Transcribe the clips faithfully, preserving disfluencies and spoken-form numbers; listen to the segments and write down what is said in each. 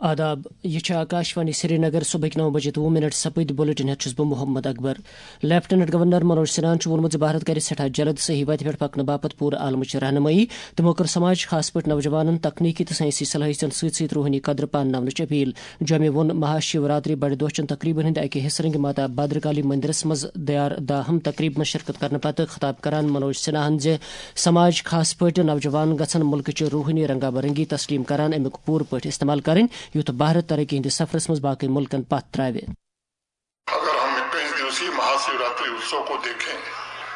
آداب، یہِ چھِ آکاشوانی سرینگر۔ صبحٕکۍ نو بجے تہٕ وُہ منٹ سپٕدۍ۔ بُلٹن ہٮ۪تھ چھُس بہٕ محمد اکبر۔ لیفٹیننٹ گورنر منوج سنہاہن چھُ ووٚنمُت زِ بھارت کرِ سٮ۪ٹھاہ جلد صحیح وتہِ پٮ۪ٹھ پکنہٕ باپتھ پوٗرٕ عالمٕچ رہنمٲیی۔ تِمو کٔر سماج، خاص پٲٹھۍ نوجوانن، تکنیکی تہٕ ساینسی صلٲحیژن سۭتۍ سۭتۍ روحٲنی قدر پانناونٕچ اپیل۔ جوٚمہِ ووٚن مہاشیو راتری بڑِ دۄہ چٮ۪ن تقریبن ہٕنٛدِ اکہِ حصہٕ رنگہِ ماتا بھدرکالی مندرس منٛز دیار داہم تقریب منٛز شرکت کرنہٕ پتہٕ خطاب کران منوج سنہاہن زِ سماج، خاص پٲٹھۍ نوجوان، گژھن ملکٕچہِ روحٲنی رنگا برنگی تسلیم کران امیُک پوٗرٕ پٲٹھۍ استعمال کرٕنۍ، یُتھ بھارت ترقی ہٕنٛدِس سفرس منٛز باقی ملکن پتھ ترٛاوِ۔ اگر ہم اکیس दिवसीय महाशिवरात्रि उत्सव को देखें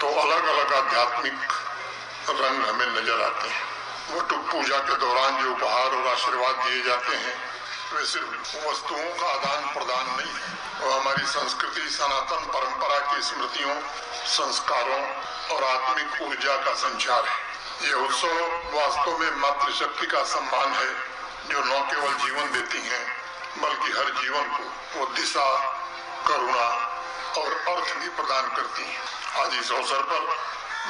तो अलग-अलग आध्यात्मिक रंग हमें नजर आते हैं। वटुक पूजा के दौरान जो उपहार और आशीर्वाद दिए जाते हैं, वे सिर्फ वस्तुओं का आदान प्रदान नहीं है, वो हमारी संस्कृति, सनातन परंपरा की स्मृतियों, संस्कारों और आत्मिक ऊर्जा का संचार है। यह उत्सव वास्तव में मातृशक्ति का सम्मान है, जो न केवल जीवन देती है, बल्कि हर जीवन को वो दिशा, करुणा और अर्थ भी प्रदान करती है। आज इस अवसर पर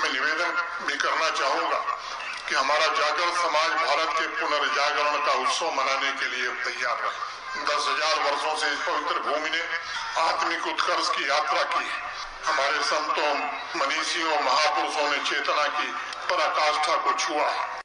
मैं निवेदन भी करना चाहूंगा कि हमारा जागरण समाज भारत के पुनर्जागरण का उत्सव मनाने के लिए तैयार रहे। दस हजार वर्षों से इस पवित्र भूमि ने आत्मिक उत्कर्ष की यात्रा की है। हमारे संतों, मनीषियों, महापुरुषों ने चेतना की पराकाष्ठा को छुआ है।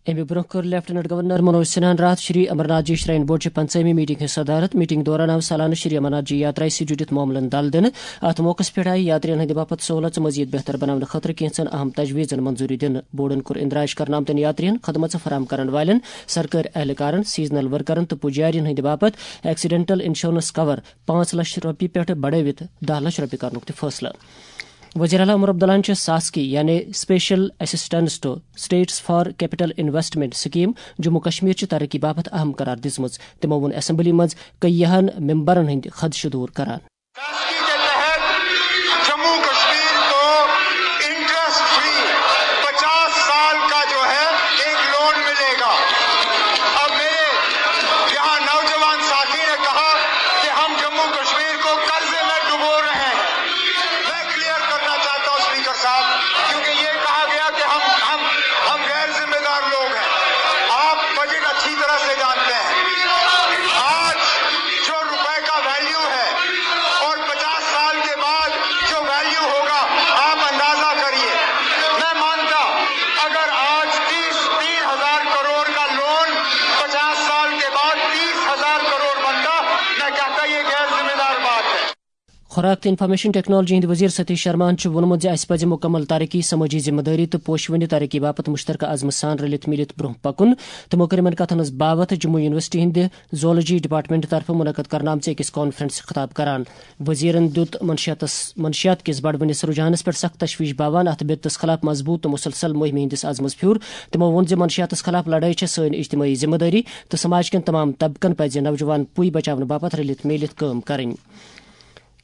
اَمہِ برٛونٛہہ کٔر لیفٹیننٹ گورنر منوج سنہاہن راتھ شری امرناتھ جی شراین بورڈ چہِ پنٛژٲہمہِ میٹنگ ہٕنٛز صدارت۔ میٹنگ دوران آو سالانہٕ شری امرناتھ جی یاترایہِ سۭتۍ جُڑِتھ معاملن دل دِنہٕ۔ اتھ موقعس پٮ۪ٹھ آیہِ یاترین ہٕنٛدِ باپتھ سہولژ مزید بہتر بناونہٕ خٲطرٕ کینٛژن اہم تجویزن منظوری دِنہٕ۔ بورڈن کوٚر اندراج کرنہٕ آمتن یاترین، خدمژ فراہم کرن والٮ۪ن، سرکٲرۍ اہلکارن، سیزنل ورکرن تہٕ پُجارین ہٕنٛدِ باپتھ ایکسیڈنٹل انشورنس کور پانٛژھ لچھ رۄپیہِ پٮ۪ٹھ بڑٲوِتھ دَہ لچھ رۄپیہِ کرنُک تہِ فٲصلہٕ۔ وزیر اعلیٰ عمر عبداللہن چھِ ساسکی یعنی Special Assistance to States for Capital Investment Scheme Jammu Kashmir چہِ ترقی باپتھ اہم قرار دِژمٕژ۔ تِمو ووٚن اسمبلی منٛز کیہن ممبرن ہٕنٛدۍ خدشہٕ دوٗر کران۔ ساسکی کے تحت جموں کشمیر کو انٹرسٹ فری پچاس سال کا جو ہے ایک لون ملے گا۔ اب میرے یہاں نوجوان ساتھی نے کہا کہ ہم جموں کشمیر کو قرضے میں ڈبو رہے ہیں۔ میں کلیئر کرنا چاہتا ہوں اسپیکر صاحب، کیونکہ یہ کہا گیا کہ ہم ہم ہم غیر ذمہ دار لوگ ہیں۔ آپ بجٹ اچھی طرح سے جانتے ہیں۔ آج جو روپے کا ویلیو ہے اور پچاس سال کے بعد جو ویلیو ہوگا، آپ اندازہ کریے۔ میں مانتا، اگر آج تیس تین ہزار کروڑ کا لون پچاس سال کے بعد تیس ہزار کروڑ بنتا، میں کہتا یہ غیر ذمہ دار بات ہے۔ خوراک تہٕ انفارمیشن ٹیکنالوجی ہٕنٛدۍ وزیر ستیش شرماہن چھُ ووٚنمُت زِ اسہِ پزِ مکمل ترقی، سمٲجی ذمہٕ دٲری تہٕ پوشوٕنہِ ترقی باپتھ مشترکہ عزمہٕ سان رٔلِتھ مِلِتھ برٛونٛہہ پکُن۔ تِمو کٔر یِمن کتھن ہٕنٛز باوتھ جموں یونیورسٹی ہٕنٛدِ زولوجی ڈپارٹمنٹ طرفہٕ منعقد کرنہٕ آمژِ أکِس کانفرنس خطاب کران۔ وزیرن دیُت منشیاتس منشیات کِس بڑوٕنِس رجحانس پٮ۪ٹھ سخت تشویش باوان اتھ بدعتس خلاف مضبوط تہٕ مسلسل مہمہِ ہٕنٛدِس عزمس پھیُر۔ تِمو ووٚن زِ منشیاتس خلاف لڑٲے چھےٚ سٲنۍ اجتمٲعی ذمہٕ دٲری تہٕ سماج کٮ۪ن تمام طبقن پزِ نوجوان پُے بچاونہٕ باپتھ رٔلِتھ میٖلِتھ کٲم کرٕنۍ۔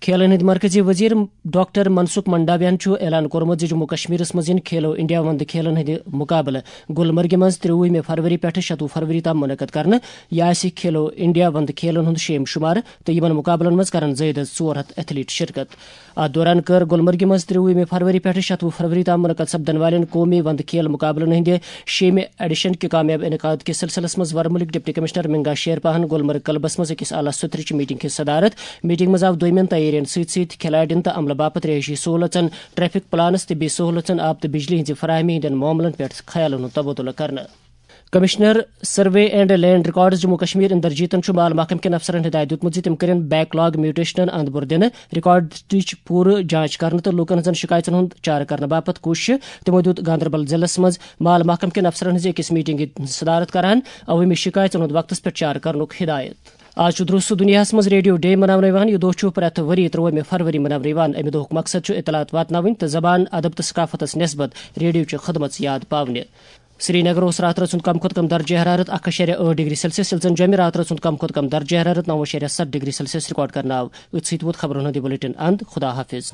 کھیلن ہٕنٛدۍ مرکزی وزیر ڈاکٹر منسکھ منڈاویہن چھُ اعلان کوٚرمُت زِ جموں کشمیرس منٛز یِن کھیلو انڈیا وندٕ کھیلن ہٕنٛدِ مقابلہٕ گلمرگہِ منٛز ترٛوُہمہِ فروری پٮ۪ٹھٕ شَتوُہ فروری تام منعقد کرنہٕ۔ یہِ آسہِ کھیلو انڈیا وندٕ کھیلن ہُنٛد شیٚیِم شُمارٕ تہٕ یِمن مقابلن منٛز کرن زٲیِد از ژور ہتھ ایتھلیٹ شرکت۔ اتھ دوران کٔر گلمرگہِ منٛز ترٛوُہمہِ فروری پٮ۪ٹھٕ شَتوُہ فروری تام منعقد سپدن والٮ۪ن قومی وندٕ کھیل مقابلن ہٕنٛدِ شیٚیِمہِ ایڈیشن کہِ کامیاب انعقاد کِس سلسلس منٛز ورمُلٕکۍ ڈپٹی کمشنر منگا شیر پاہن گلمرگ کلبس منٛز أکِس اعلیٰ سطرٕچہِ میٹنگ ہٕنٛز صدارت۔ میٹنگ منٛز آو دوٚیمٮ۪ن تیٲرین سۭتۍ سۭتۍ کھلاڑین تہٕ عملہٕ باپتھ رہٲیشی سہولژن، ٹریفک پلانس، طبی سہولژن، آب تہٕ بجلی ہٕنٛزِ فراہمی ہٕنٛدٮ۪ن معاملن پٮ۪ٹھ خیالن ہُنٛد تبادلہٕ کرنہٕ۔ Commissioner survey and land records Jammu Kashmir اندرجیتن چھُ مال محکمہٕ کٮ۪ن افسرن ہدایت دیُتمُت زِ تِم کٔرِن بیک لاگ میوٹیشنن اند بُر دِنہٕ، ریکارڈٕچ پوٗرٕ جانچ کرنہٕ تہٕ لوٗکن ہٕنٛزن شِکایژن ہُنٛد چارٕ کرنہٕ باپتھ کوٗششہٕ۔ تِمو دیُت گاندربل ضلعس منٛز مال محکمہٕ کٮ۪ن افسرن ہٕنٛزِ أکِس میٹنگہِ ہٕنٛز صدارت کران عوٲمی شِکایژن ہُنٛد وقتس پٮ۪ٹھ چارٕ کرنُک ہدایت۔ آز چھُ درست دُنیاہَس منٛز ریڈیو ڈے مناونہٕ یِوان۔ یہِ دۄہ چھُ پرٛٮ۪تھ ؤری ترٛووُہمہِ فروری مناونہٕ یِوان۔ اَمہِ دۄہُک مقصد چھُ اطلاعات واتناوٕنۍ تہٕ زبان، ادب تہٕ ثقافتَس نٮ۪سبت ریڈیوچہِ خدمژ یاد پاونہِ۔ سرینگرس راتہٕ رٲژ ہُنٛد کم کھۄتہٕ کم درجہ حرارت اکھ اَشاریہ ٲٹھ ڈگری سیلسیس، ییٚلہِ زن جوٚمہِ راتہٕ رٲژ ہُنٛد کم کھۄتہٕ کم درجہ حرارت نَو اَشاریہ ستھ ڈگری سیلسیس ریکارڈ کرنہٕ آو۔ أتھۍ سۭتۍ ووت خبرن ہُنٛد یہِ بلیٹن اند۔ خدا حافظ۔